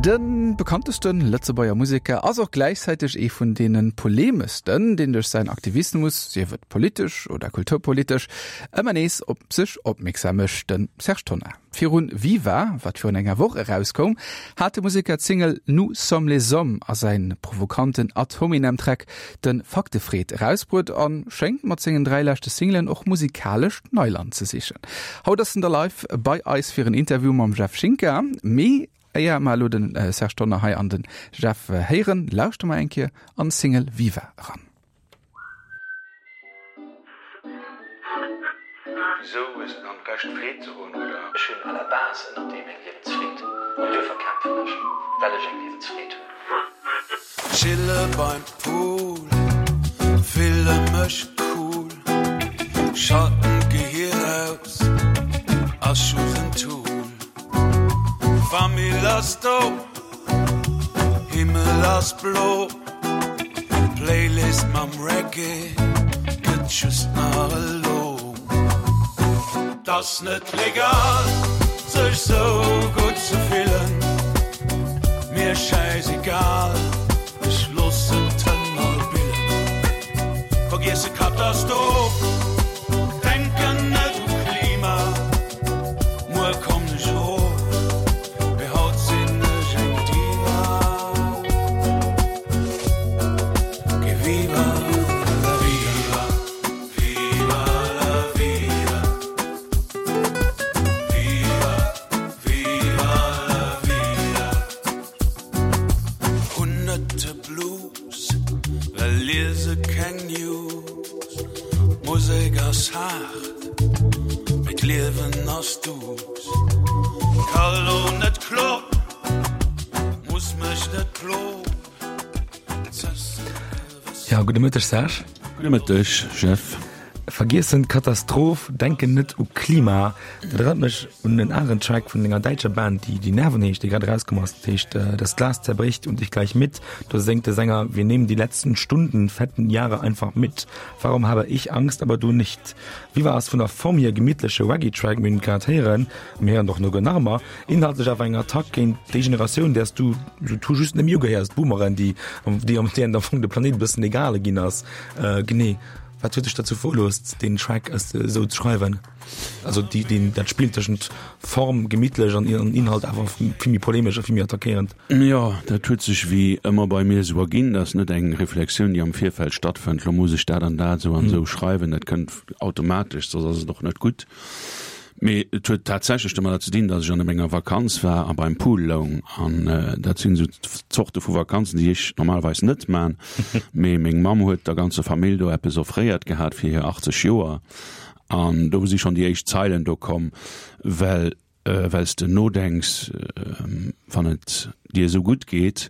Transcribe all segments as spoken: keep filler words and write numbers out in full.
De bekanntesten Lëtzebuerger Museker ass och gläichzäiteg ee vun deene polemeschsten, deen duerch säin Aktivismus, sief et politesch oder kulturpolitesch, ëmmer nees op sech opmierksam mécht, de Serge Tonnar. Virun Viva, wat virun enger Woch erauskoum, hat de Museker d'Single Nous sommes les hommes a säin provokanten Ad Hominem Track de Faktefreed erausbruet a schéngt mat sengen dräi leschte Singlen och musikalescht Neiland ze sichen. Haut ass en da live bei eis fir en Interview mam Jeff Schinker. Mee éier mer elo den Serge Tonnar hei an den Jeff héieren, lauschtere mer eng Kéier an d'Single Viva eran. Wisou hues de dann d'Recht Freed ze hunn, oder? Ech hunn à la base ënnert deem eng Liewensfreed an duerfir kämpfen ech, well ech eng Liewensfreed hunn. Chille beim Pool, fille mech cool, schalten d'Gehier aus, ass just en Tool. Famill ass do, Himmel ass blo, Playlist mam Reggae gëtt just nach elo. T'ass net legal sech sou gutt ze fillen, mir schäisegal, ech loossen d'Hënn all billen. Vergiesse Katastroph, denken net u Klima, muer kommen ech erof, mee haut sinn ech eng Diva. Que viva la vida, viva la vida, viva, viva la vida. Hunn net de Blues, well liese keng News. D'Musek ass haart, mee d'Liewen ass duuss. Ka lo net kloen, muss mech net ploen. Ja, gudde Mëtteg Serge. Gudde Mëtteg Jeff. Vergiessen d'Katastroph, denken net u Klima. Dat erënnert mech un en aneren Track vun enger däitscher Band, déi Die Nerven heescht, déi grad erauskomm ass. Dat heescht Das Glas zerbricht und ich gleich mit. Do séngt de Sänger, Wir nehmen die letzten Stunden, fetten Jahre einfach mit. Warum habe ich Angst, aber du nicht? Viva ass vun der Form hier gemittleche Reggae-Track, mir hunn et grad héieren, mir héieren och no nach ëmmer, inhaltlech awer eng Attack géint déi Generatioun, där s du sou tout just net méi ugehéiers, d'Boomeren, déi déi am déi am Fong de Planéit e bëssen egal ginn ass. Genee, wat huet dech derzou veruloosst, deen Track esou ze schreiwen? Also déi, deen, dat Spill tëschent Form, gemittlech, an Inhalt awer vill méi polemesch a vill méi attackéierend. Jo, dat huet sech wéi ëmmer bei mir esou erginn. Dat ass net eng Reflexioun, déi am Virfeld stattfënnt, lo muss ech dat an dat esou an esou schreiwen. Dat kënnt automatesch, soss ass et och net gutt. Mee et huet tatsächlech domadder ze dinn, datt ech an enger Vakanz war a beim Pool loung. An dat sinn esou Zorte vu Vakanzen, déi ech normalerweis net man. Mee meng Mamm huet der ganzer Famill do eppes offréiert gehat fir hir achtzeg Joer. An do si schonn déi éischt Zeilen do komm, well well s de nodenks, wann et dir esou gutt geet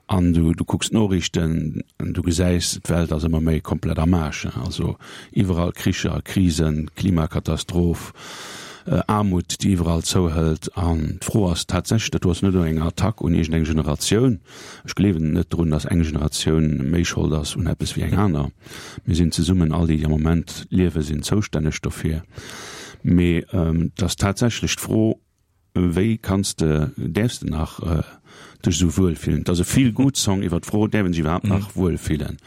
an du du kucks d'Noriichten an du gesäis, d'Welt ass ëmmer méi komplett am Aarsch, also iwwerall Kricher, Krisen, Klimakatastroph, Aarmut, déi iwwerall zouhëlt. An d'Fro ass tatsächlech, dat do ass net elo eng Attack un iergendeng Generatioun, ech gleewen net drun, datt eng Generatioun méi Schold ass un eppes wéi eng aner. Mir sinn zesummen, all déi, déi am Moment liewen, sinn zoustänneg dofir. Mee et ass tatsächlech d'Fro, Wéi kanns de, däerfs de nach dech esou wuel fillen? Et ass e Feel-Good-Song iwwer d'Fro, däerf een sech iwwerhaapt nach wuel fillen?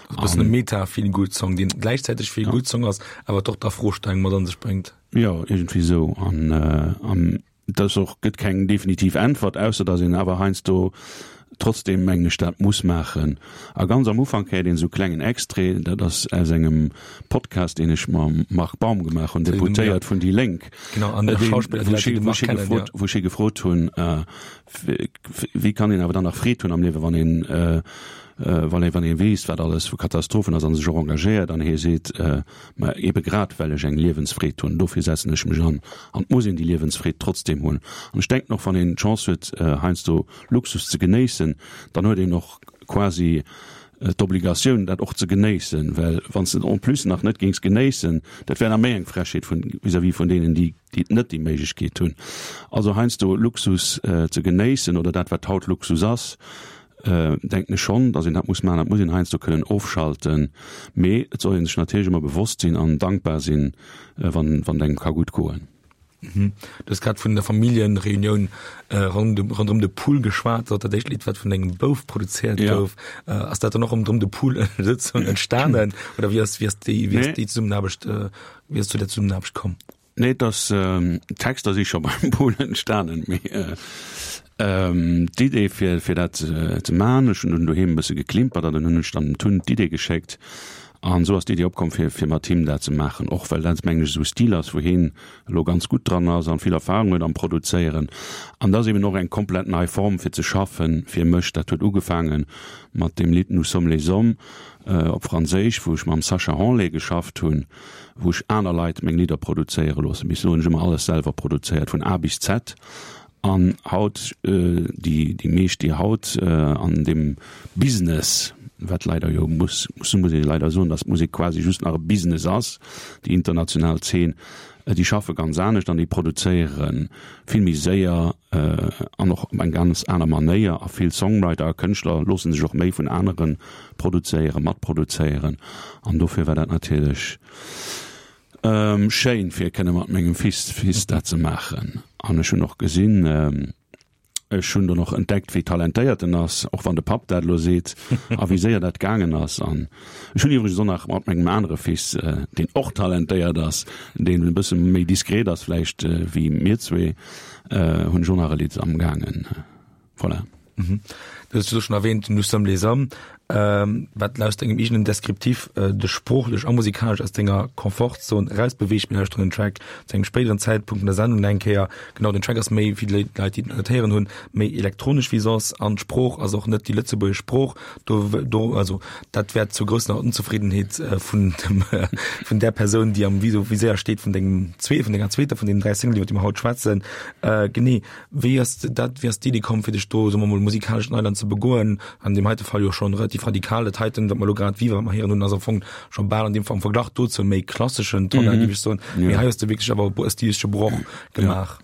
E bëssen e Meta-Feel-Good-Song, deen gläichzäiteg Feel-Good-Song ass, awer och d'Afrostellung mat an sech bréngt. Jo, iergendwéi esou. An et ass och, gëtt keng definitiv Äntwert, ausser datt een awer heiansdo Trotzdem mengen ech dat muss maachen. A ganz am Ufank héiert een esou klengen Extrait, dat ass aus engem Podcast deen ech mam Marc Baum gemaach hunn, Deputéiert vun déi Lénk, wou ech hie gefrot hunn, wéi kann een awer dann nach Freed hunn am Liewen, wann een wann ee wann ee weess wat alles vu Katastrophen ass a sech och engagéiert. An hie seet, ma ebe grad well ech eng Liewensfreed hunn, dofir setzen ech mech an. An et muss een déi Liewensfreed trotzdem hunn. An ech denken och, wann een d'Chance huet heiansdo Luxus ze genéissen, dann huet een och quasi d'Obligatioun, dat och ze genéissen, well wann s de et en plus nach net géings genéissen, dat wär nach méi eng Frechheet vun vis-à-vis vun deenen, déi déi net déi Méiglechkeet hunn. Also heiansdo Luxus ze genéissen oder dat, wat haut Luxus ass, denken ech schonn, datt een dat muss maachen. Dat muss een heiansdo kënnen ofschalten, mee et soll ee sech natierlech ëmmer bewosst sinn an dankbar sinn, wann wann et engem ka gutt goen. Mhm. Du hues grad vun der Familljenreunioun ronderëm de Pool geschwat, dat éischt Lidd wat vun dengem Bouf produzéiert ja. gouf. Äh, ass dat dann och ronderëm de Pool sozusagen entstanen oder wéi ass, wéi ass déi, wéi ass déi Zesummenaarbecht, äh, wéi ass zu der Zesummenaarbecht komm? Nee, dass ähm, Texter si scho beim Pool entstanen. Mee, äh, ähm, d'Idee fir, fir dat äh, ze man, ech hunn dunn doheem e bësse geklimpert an dann hunn ech dann dem Tun d'Idee geschéckt. An esou ass d'Idee opkomm fir, fir mat him dat ze maachen, och well dat mengen ech esou e Stil ass, wou hien elo ganz gutt dran ass an vill Erfahrung huet am Produzéieren. An dat ass eben och eng komplett nei Form fir ze schaffen fir mech. Dat huet ugefaange mat deem Lidd Nous sommes les hommes op Franséisch, wou ech mam Sacha Hanlé geschafft hunn, wou ech aner Leit meng Lidder produzéiere loossen. Bis elo hunn ech ëmmer alles selwer produzéiert, vun A bis Z. An haut, déi déi meescht, déi haut an deem Business, wat leider jo muss, muss muss ee leider soen, datt d'Musek quasi just nach e Business ass, déi international Zeen, déi schaffe ganz anescht an déi produzéiere vill méi séier an och op eng ganz aner Manéier. A vill Songwriter a Kënschtler loosse sech och méi vun anere produzéieren, matproduzéieren. An dofir war dat natierlech schéin, fir kënne mat mengem Fils, Fils dat ze maachen. An ech hunn och gesinn, ech hunn dann och entdeckt, wéi talentéiert en ass, och wann de Papp dat elo seet, a wéi séier dat gaangen ass. An ech hunn iwwregens och nach mat mengem anere Fils, deen och talentéiert ass, deen e bësse méi diskret ass vläicht wéi mir zwee, hunn ech och nach e Lidd amgaangen. Voilà. Du hues elo schonn erwähnt, Nous sommes les hommes, wat laut dengem eegenen Descriptif dech sproochlech a musikalesch aus denger Komfortzon erausbeweegt. Mir lauschteren den Track zu engem spéideren Zäitpunkt vun der Sendung nach eng Kéier. Genau, den Track ass méi, fir déi Leit, déi et nach net héieren hunn, méi elektronesch wéi soss an d'Sprooch ass och net déi lëtzebuergesch Sprooch. Do, do, also dat wäert zur grousser Onzefriddenheet vun dem, vun där Persoun, déi am Viséier steet vun dengem zwee, vun denger zweeter vun deenen dräi Singlen, iwwer déi mer haut schwätzen. Genee. Wéi ass dat, wéi ass d'Iddi komm, fir dech do, soe mer mol, musikalesch Neiland ze begoen? An deem heite Fall jo schonn relativ radikal. Dat heiten, wat mer elo grad Viva, wat mer héieren hunn, ass am Fong scho bal an deem Fall am Verglach dozou méi klasseschen Tonnar, géif ech soen. Mee hei hues de wierklech awer e stilistesche Broch gemaach.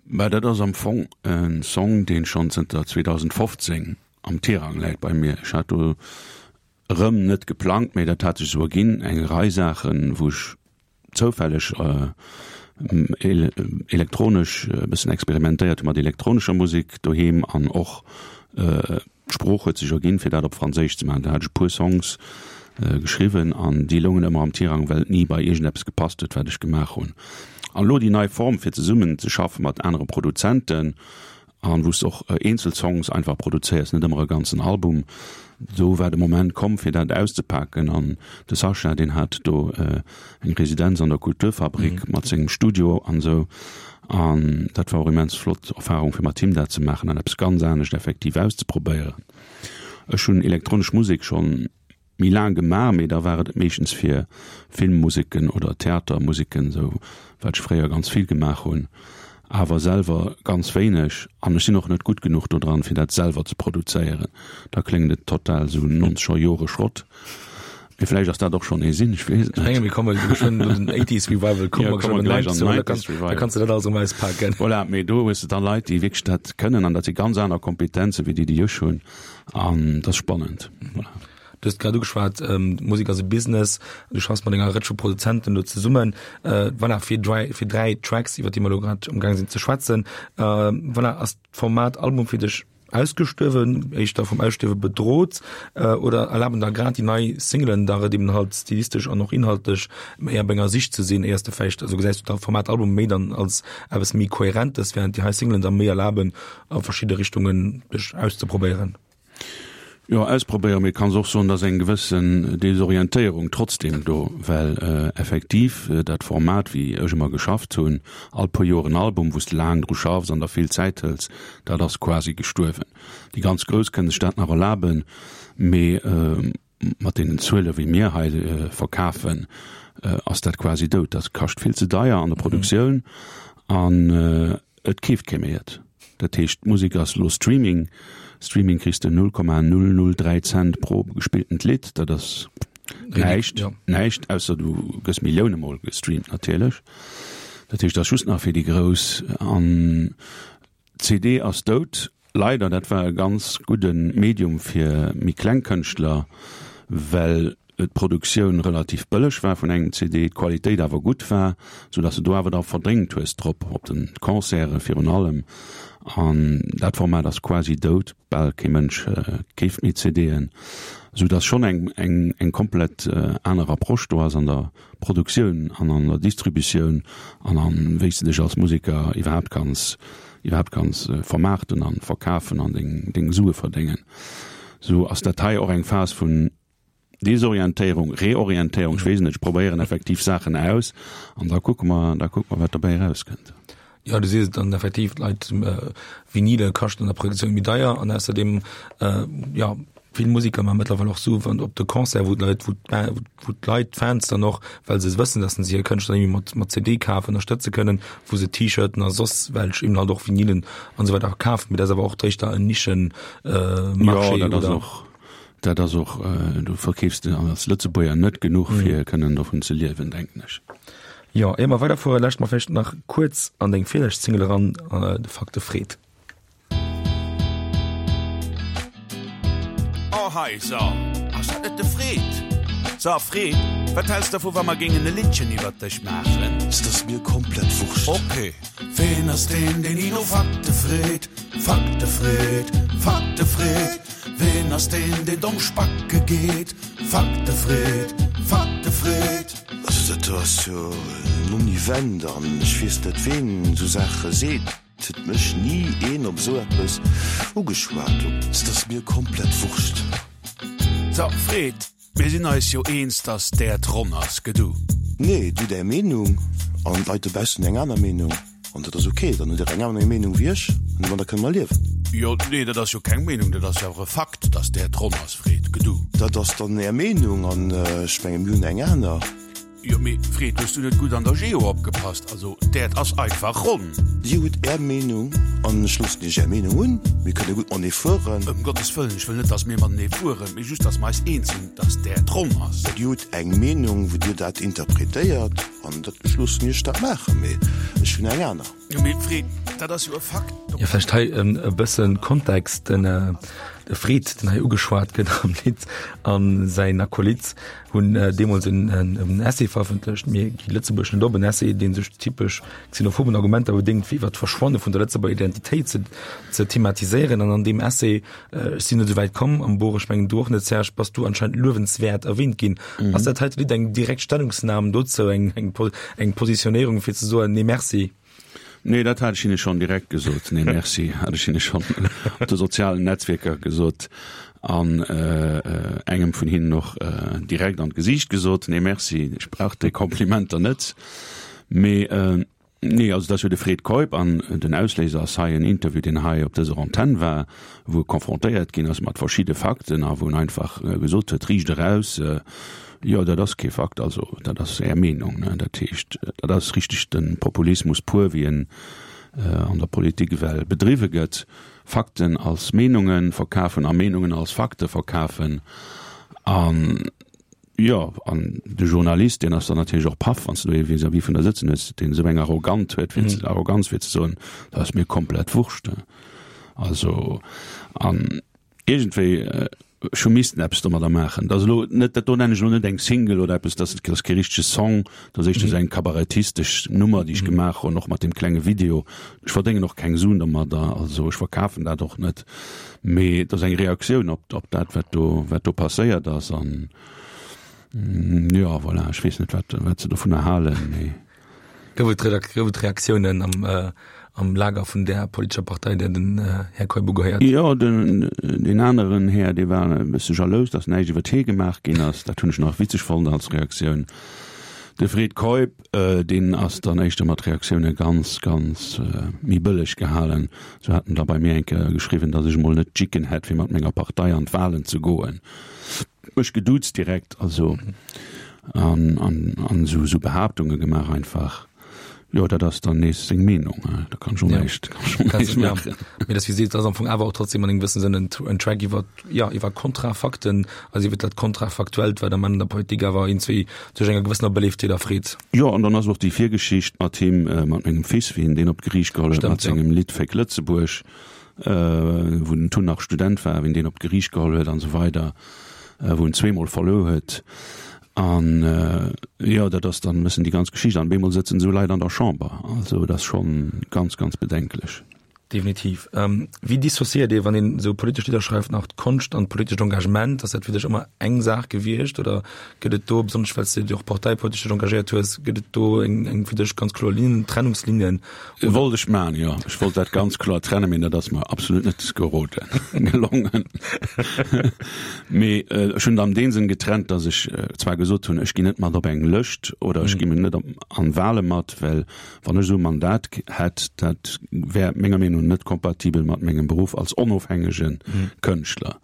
Mä dat ass am Fong e Song, deen schonn zënter zweedausendfofzéng am Tirang läit bei mir. Ech hat do erëm net geplangt, mee dat hat sech esou erginn, eng Rei Saachen, wou ech zoufälleg elektronesch e bëssen experimentéiert hu mat elektronescher Musek doheem an och d'Sprooch huet sech erginn, fir dat op Franséisch ze maachen. Do hat ech e puer Songs geschriwwen an déi loungen ëmmer am Tirang, well et ni bei iergendeppes gepasst huet, wat ech gemaach hunn. An elo déi nei Form, fir zesummen ze schaffe mat anere Produzenten, An wou s de och eenzel Songs einfach produzéiers, net ëmmer e ganzen Album. Do war de Moment komm, fir dat auszepaken. An de Sascha, deen hat do eng Residenz an der Kulturfabrik mat sengem Studio an esou. An dat war och immens flott Erfarung, fir mat him dat ze maachen an eppes ganz anescht effektiv auszeprobéieren. Ech hunn elektronesch Musek schonn méi laang gemaach, mee da war et meeschtens fir Filmmuseken oder Theatermuseken, esou wat ech fréier ganz vill gemaach hunn, awer selwer ganz wéineg. An ech sinn och net gutt genuch dodran, fir dat selwer ze produzéieren. Da kléngt et total esou nonzeger Jore Schrott. Mee vläicht ass dat och schonn ee Sinn, ech weess et net. Ech menge mir komme geschwënn un den Eighties Revival, komme mer geschwënn an den Nineties Revival, da kanns de dat alles erëm auspaken. Voilà, mee do hues de da Leit, déi wierklech dat kënnen an dat si ganz aner Kompetenzen, wéi déi, déi ech hunn an dat ass spannend. Voilà. Du hues grad ugeschwat, Musek ass e Business, du schaffs mat enger Rëtsch vu Produzenten do zesummen. Voilà, fir dräi, fir dräi Tracks, iwwer déi mer elo grad amgaang sinn ze schwätzen. Voilà, ass d'Format Album fir dech ausgestuerwen, éischter vum Ausstierwe bedrot oder erlaben der grad déi nei Singlen der et eben halt stilistesch an och inhaltlech méi op enger Sich ze sinn, éiers de vläicht, also gesäis du d'Format Album méi dann als eppes méi Kohärentes, während déi hei Singlen der méi erlaben a verschidde Richtungen dech auszeprobéieren? Jo, ausprobéieren, mee kanns och soen, dass eng gewëssen Desorientéierung trotzdem do, well effektiv dat Format, wéi ech ëmmer geschafft hunn, all puer Joer en Album, wou s de laang dru schaffs an der vill Zäit hëls, dat ass quasi gestuerwen. Déi ganz Grouss kënne sech dat nach erlaben, mee mat deenen Zuele wéi mir hei verkafen, ass dat quasi dout. Dat kascht vill ze deier an der Produktioun an et keeft kee méi et. Dat heescht, d'Musek ass elo Streaming. Streaming kriss de null Komma null null dräi Cent pro gespilltent Lidd. Dat ass näischt, näischt, ausser du gëss Millioune mol gestreamt natierlech. Dat heescht, dat ass just nach fir déi Grouss. An d'C D ass dout, leider. Dat war e ganz gudde Medium fir méi kleng Kënschtler, well d'Produktioun relativ bëlleg war vun engem C D, d'Qualitéit awer gutt war, sou dass de do awer da verdéngt hues drop, op de Concerte virun allem. An dat Format ass quasi dout, bal kee Mënsch keeft méi C D'en, sou dass schonn eng eng eng komplett aner Approche do ass an der Produktioun an an der Distributioun an an wéi s de dech als Museker iwwerhaapt kanns iwwerhaapt kanns vermaarten an verkafen an deng deng Sue verdéngen. Sou ass dat hei och eng Phas vun Desorientéierung, Reorientéierung, ech weess net, ech probéieren effektiv Saachen aus an da kucke mer, da kucke mer wat dobäi erauskënnt. Jo, du sees et dann effektiv, d'Leit, Vinyle kaschten an der Produktioun méi deier an ausserdeem, jo, vill Musiker maache mëttlerweil och Sue wann op de Concert, wou d'Leit, wou wou d'Leit, d'Fans dann och, well se wëssen, datt se hir Kënschtler nëmme mat mat C D kafen, ënnerstëtze kënnen, wou se T-Shirten a soss welch eben halt och Vinylen an esou weider kafen. Mee dat ass awer och éischter en Nischen-Marché, Jo, dat ass oder? och, dat ass och, du verkeefs de als Lëtzebuerger net genuch, fir kënnen dovun ze liewen, denken ech. Jo, ier mer weiderfueren, lauschte mer vläicht nach kuerz an deng virlescht Single eran, De Fakte Fred. Oh hei, so, ass dat net de Fred? So, Fred, wat häls dervu wa mer géingen e Liddchen iwwert dech maachen? Dat ass mir komplett wurscht. Ok. Ween ass deen, deen ni no Fakte freet? Fakte freet, Fakte freet. Ween ass deen, deen domm spacke geet? Fakte freet, Fakte freet. Also dat do ass jo en Non-Event an ech weess net ween esou Saache seet. Et huet mech ni een op esou eppes ugeschwat. Dat ass mir komplett wurscht. So, Fred, mir sinn eis jo eens, dass d'Äerd ronn ass, gëtt du? Nee, du hutt är Meenung an d'Leit dobaussen hunn eng aner Meenung an dat ass ok. Dann hutt der eng aner Meenung wéi ech an domadder kënne mer liewen. Jo, nee, dat ass jo keng Meenung, dat ass jo awer e Fakt, dass d'Äerd ronn ass, Fred, gëtt du? Dat ass dann är Meenung an ech menge mir hunn eng aner. Jo, mee Fred, hues du net gutt an der Geo opgepasst? Also, d'Äerd ass einfach ronn. Dir hutt Är Meenung an ech loossen Iech Är Meenung hunn. Mir kënne gutt matenee fueren. Ëm Gottes Wëllen, ech wëll net, dass mir matenee fueren, mee just, dass mer eis eens sinn, dass d'Äerd ronn ass. Dir hutt eng Meenung, wou Dir dat interpretéiert an dat, ech loossen Iech dat maachen, mee ech hunn eng aner. Jo, mee Fred, dat ass jo e Fakt. Jo, vläicht hei e bësse Kontext, Den De Fred, den hei ugeschwat gëtt am Lidd, a säin Acolyt hunn deemools en Essay verëffentlecht, Mir gi Lëtzebuerg net op, en Essay, dee sech typesch xenophoben Argumenter bedéngt, fir iwwer d'Verschwanne vun der Lëtzebuerger Identitéit ze ze thematiséieren. An an deem Essay, ech sinn net esou wäit komm am Buch, ech mengen du och net, Serge, bass du anscheinend luewenswäert erwähnt ginn. Ass dat heite Lidd eng direkt Stellungsnam dozou, eng eng Positionéierung, fir ze soen, Nee, merci? Nee, dat hat ech hinne schonn direkt gesot. Nee, merci, hat ech hinne schonn op de sozialen Netzwierker gesot an engem vun hinnen och direkt an d'Gesiicht gesot, Nee, merci, ech brauch déi Komplimenter net. Mee nee, also dat ass jo de Fred Keup an den Ausléiser ass hei en Interview, deen hei op dëser Antenn war, wou e confrontéiert ginn ass mat verschidde Fakten a wou en einfach gesot huet, riicht eraus, Jo, dat ass kee Fakt, also dat ass Är Meenung. Ne? Dat heescht, dat ass richteg de Populismus pur, wéi en an der Politik ewell bedriwwe gëtt. Fakten als Meenunge verkafen a Meenungen als Fakte verkafen. An jo, an de Journalist, deen ass dann natierlech och paff, wann s de do ee vis-à-vis vun der sëtzen hues, deen esou eng Arrogant huet, fir ze, Arroganz fir ze soen, dat ass mir komplett Wurscht. Also an iergendwéi, Ech hu missten eppes domadder maachen. Dat ass elo net, dat do nennen ech elo net eng Single oder eppes, dat ass kee richtege Song, dat ass éischter esou eng kabarettistesch Nummer, déi ech gemaach hunn, och mat deem klenge Video. Ech verdéngen och keng Suen domadder, also ech verkafen dat och net, mee et ass eng Reaktioun op, op dat, wat do, wat do passéiert ass. An jo, voilà, ech weess net, wat, wat se dovunner halen, mee. Gouf et gouf et Reaktiounen am, am Lager vun där politescher Partei, där den Här Keup ugehéiert? Jo, den, deen aneren Här, dee war e bësse jalous, datt näischt iwwer hie gemaach ginn ass. Dat hunn ech nach witzeg fonnt als Reaktioun. De Fred Keup, deen ass dann éischter mat Reaktioune ganz, ganz méi bëlleg gehalen. Sou hat en da bei mir eng Kéier geschriwwen, datt ech emol net d'Jicken hätt, fir mat menger Partei an d'Wahlen ze goen. Mech geduuzt direkt, also. An, an, an esou, esou Behaaptunge gemaach einfach. Jo, dat ass dann nees seng Meenung, da kann ech och näischt, kann ech och näischt maachen. Mee dat, wéi seet, ass am Fong awer och trotzdem an engem gewëssene Sënn en, en Track iwwer, ja, iwwer Kontrafakten, also iwwer dat Kontrafaktuellt, wat am Enn an der Politik awer iergendwéi sech enger gewëssener Beléiftheet erfreet. Jo, an dann ass och déi Virgeschicht mat him, mat mengem Fils, wéi en deen op d'Geriicht geholl huet mat sengem Lidd Féck Lëtzebuerg, wou den Tun nach Student war, wéi en deen op d'Geriicht geholl huet an esou weider. wou en zweemol verluer huet. An jo, dat ass dann e bëssen déi ganz Geschicht. An op eemol sëtzen esou Leit an der Chamber. Also et ass schonn ganz, ganz bedenklech. Definitiv. Wéi dissociéiert ee, wann een esou politesch Lidder schreift, nach d'Konscht an d'politescht Engagement? Ass dat fir dech ëmmer eng Saach gewiescht oder gëtt et do, besonnesch well s de dech och parteipolitesch dech engagéiert hues, gëtt et do eng, eng fir dech ganz kloer Linnen, Trennungslinien? Wollt ech maachen, jo. Ech wollt dat ganz kloer trennen, mee dat ass mer absolut net geroden, gelongen. Mee ech hunn et an deem Sënn getrennt, datt ech zwar gesot hunn, ech ginn net mat op eng Lëscht oder ech gi net an Wahle mat, well wann ech esou e Mandat hätt, dat wär menger Meenung no net kompatibel mat mengem Beruff als onofhängege Kënschtler,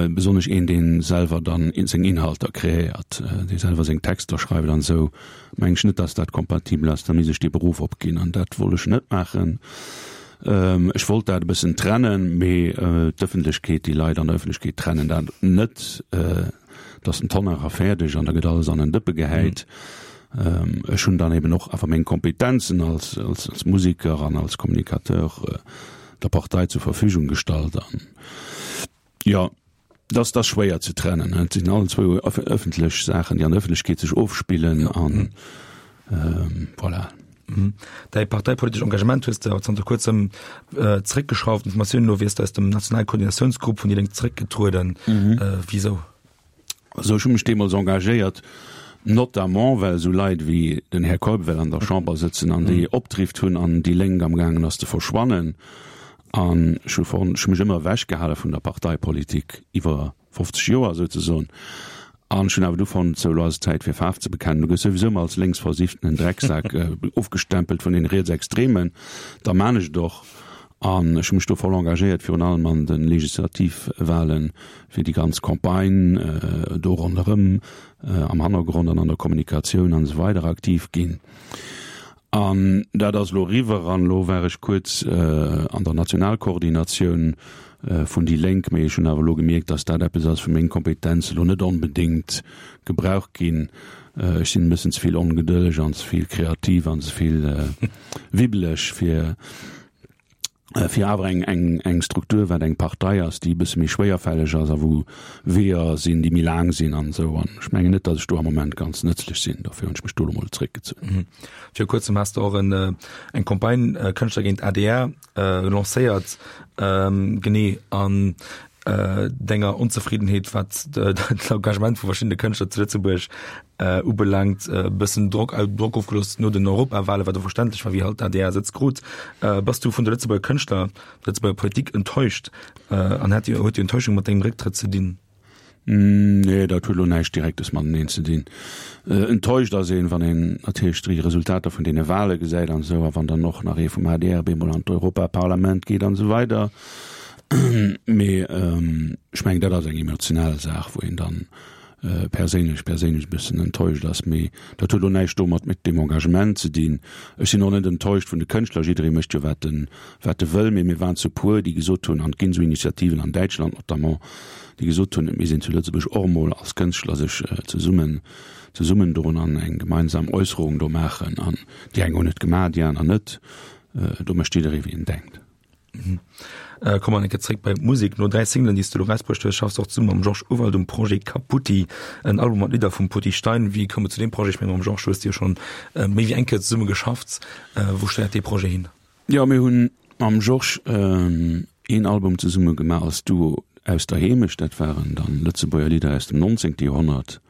besonnesch een, dee selwer dann seng Inhalter kreéiert, dee selwer seng Texter schreift an esou, mengen ech net, dass dat kompatibel ass. Da misst ech dee Beruff opginn an dat wollt ech net maachen. Ech wollt dat e bëssen trennen, mee d'Ëffentlechkeet, déi Leit an der Ëffentlechkeet trennen dat net. Et ass den Tonnar a fäerdeg an da gëtt alles an en Dëppe gehäit. Ech hunn dann eben och awer meng Kompetenzen als, als, als Musiker an als Communicateur der Partei zur Verfügung gestallt an jo, dat ass schwéier ze trennen. Et sinn allen zwou ëffentlech Saachen, déi an der Ëffentlechkeet sech ofspillen an voilà. Däi parteipolitescht Engagement hues de awer zanter kuerzem zeréckgeschrauft. Informatiounen no wiers de aus dem nationale Koordinatiounsgrupp vun déi Lénk zeréckgetrueden. Wisou? Also ech hu mech deemools engagéiert, notamment well esou Leit wéi den Här Keup well an der Chamber sëtzen an déi Opdrift hunn an déi Lénk amgaangen ass ze verschwannen. An ech hu fonnt, ech hu mech ëmmer ewechgehale vun der Parteipolitik iwwer fofzeg Joer souzesoen. An ech hunn awer du fonnt, sou elo ass et Zäit fir Faarf ze bekennen. Du gëss souwisou ëmmer als lénksversifften Drecksak ofgestempelt vun den Rietsextremen, da maan ech et och. An ech hu mech do voll engagéiert, virun allem an de Legislativwahlen, fir déi ganz Campagne do ronderëm am Hannergrond an an der Kommunikatioun an esou weider aktiv ginn. An dat ass elo eriwwer an elo war ech kuerz an der Nationalkoordinatioun vun déi Lénk, mee ech hunn awer elo gemierkt, datt dat eppes ass, wou meng Kompetenze elo net onbedéngt gebraucht ginn. Ech sinn e bëssen ze vill ongedëlleg an ze vill kreativ an ze vill wibbeleg, fir fir awer eng, eng, eng Struktur, wat eng Partei ass, déi e bësse méi schwéierfälleg ass a wou Weeër sinn, déi méi laang sinn an esou. An ech mengen net, datt ech do am Moment ganz nëtzlech sinn. Dofir hunn ech mech do elo mol zeréckgezunn. Viru kuerzem has de och en, eng Campagne Kënschtler géint adr lancéiert, genee an denger Onzefriddenheet, wat d'Engagement vu verschiddene Kënschtler zu Lëtzebuerg ubelaangt, e bëssen Drock, Drock ofgelooss no den Europawale, wat och verständlech war, wéi halt d'ADR Sëtz krut. Bass du vun de Lëtzebuerger Kënschtler, der Lëtzebuerger Politik enttäuscht an hat déi, huet déi Enttäuschung mat dengem Récktrëtt ze dinn? Nee, dat huet elo näischt Direktes mateneen ze dinn. Enttäuscht ass een, wann een natierlech déi Resultater vun deene Wale gesäit an esou, a wann dann och nach ee vum adr bemol an d'Europaparlament geet an esou weider. Mee ech mengen, dat ass eng emotional Saach, wou een dann perséinlech perséinlech e bëssen enttäuscht ass. Mee dat huet elo näischt domat mit deem Engagement ze dinn. Ech sinn och net enttäuscht vun de Kënschtler, jidderee mécht jo wat en wat e wëll, mee mir waren zu puer, déi gesot hunn, an et ginn esou Initiativen an Däitschland notamment, déi gesot hunn, et misst een zu Lëtzebuerg och emol als Kënschtler sech zesummen zesummendoen an eng gemeinsam Äusserung do maachen. An déi eng hunn et gemaach, déi aner net. Do mécht jidderee wéi en denkt. Komme mer eng Kéier zréck bei d'Musek. No dräi Singlen, déi s de elo erausbruecht hues, schaffs de och zesumme mam Georges Urwald um Projet Kaputti, en Album mat Lidder vum Potti Stein. Wéi koum et zu deem Projet? Ech menge mam Georges hues de jo schonn méi wéi eng Kéier zesumme geschafft. Wou steiert dee Projet hin? Jo, mir hunn mam Georges een Album zesumme gemaach als Duo Aus der Heemecht. Dat waren dann Lëtzebuerger Lidder aus dem nonzéngte Joerhonnert.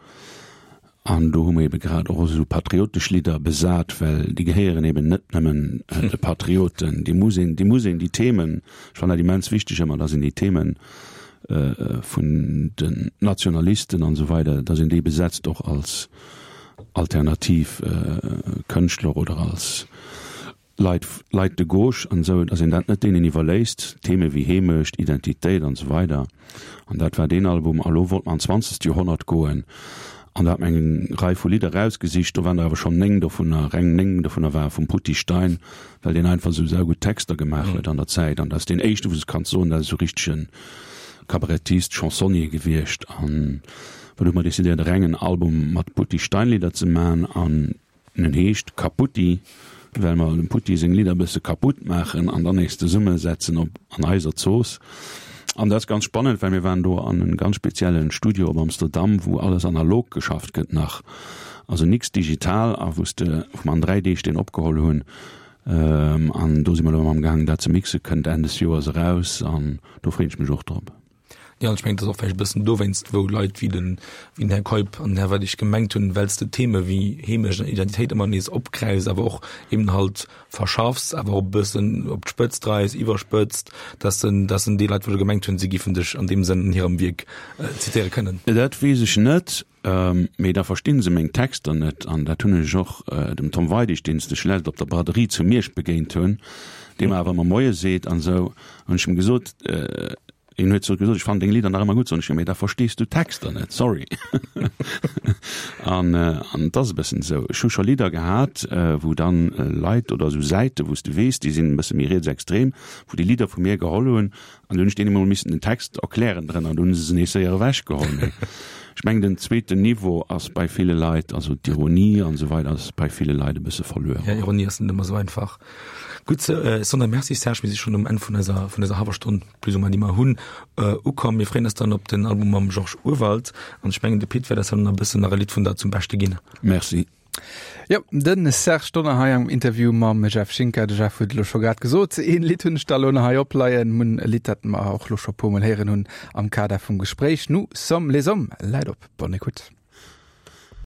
An do hu mer ebe grad och esou patriotesch Lidder besat, well déi gehéieren eben net nëmmen de Patrioten. Déi muss een, déi muss een, déi Themen, ech fannen dat immens wichteg ëmmer, datt een déi Themen vun den Nationalisten an esou weider, datt een déi besetzt och als alternativ Kënschtler oder als Leit, Leit de gauche an esou, datt een dat net deenen iwwerléisst, Theme wéi Heemecht, Identitéit an esou weider. An dat war deen Album. A lo wollt mer an d'zwanzegst Joerhonnert goen an do hat mer eng Rei vu Lidder erausgesicht. Do waren der awer schonn néng dovunner, reng néng dovunner ware vum Poutty Stein, well deen einfach esou saugutt Texter gemaach huet an der Zäit. An dat ass deen éischte, wou s de kanns soen, dat ass esou richtegen Kabarettist, Chansonnier gewiescht. An do hu mer decidéiert, e rengen Album mat Poutty Stein-Lidder ze man. An En heescht Kaputti, well mer dem Putti seng Lidder e bësse kaputt maachen an dann nees zesummesetzen op an eiser Zooss. An dat ass ganz spannend, well mir waren do an en ganz speziellen Studio op Amsterdam, wou alles analog geschafft gëtt nach, also nix digital a wou s de, wou mer an dräi Deeg deen opgeholl hunn. An do si mer elo am gaangen dat ze mixen, kënnt Enn des Joers eraus an do freen ech mech och drop. Jo, an ech mengen, et ass och vläicht e bëssen dowéinst, wou Leit wéi den, wéi den Här Keup an den Här Weidig gemengt hunn, well s de Theme wéi Heemecht an Identitéit ëmmer nees opgräifs, awer och eben halt verschaffs, awer och e bëssen op d'Spëtzt dreis, iwwerspëtzt, dass en, dass en déi Leit, wou gemengt hunn, si giffen dech an deem Sënn an hirem Wierk zitéiere kënnen. Dat weess ech net, mee da verstinn se meng Texter net. An dat hunn ech och dem Tom Weidig, deen s de schlecht op der Braderie zu Miersch begéint hunn, dee mer awer ëmmer Moie seet an esou, hunn ech em gesot, Hien huet sou gesot, ech fannen deng Lidder nach ëmmer gutt, soen ech, jo mee da verstees du d'Texter net, sorry. An an et ass e bëssen esou. Ech hu scho Lidder gehat, wou dann Leit oder esou Säite wou s de weess, déi sinn e bësse méi rietsextrem, wou déi Lidder vu mir geholl hunn an du hunn ech deenen emol missen den Text erklären drënner an du hunn se se nees séier ewechgeholl. Mee ech mengen den zweeten Niveau ass bei ville Leit, also d'Ironie an esou weider ass bei ville Leit e bësse verluer. Ja, Ironie ass net ëmmer esou einfach. Gutt, Sonder Merci Serge, mir si schonn um Enn vun eiser vun eiser hallwer Stonn plus ou moins, déi mer hunn, ukomm. Mir freeën eis dann op den Album mam Georges Urwald an ech mengen de Pit wäert eis dann nach e bëssen nach e Lidd vun der zum Beschte ginn. Merci. Jo, de Serge Donner hei am Interview mam Jeff Schinker. De Jeff huet elo scho grad gesot, een Lidd hunn ech da elo nach hei opleien. Mun e Lidd, dat mer och elo scho puer mol héieren hunn am Kader vum Gespréich. Nous sommes les hommes läit op. Bonne écoute.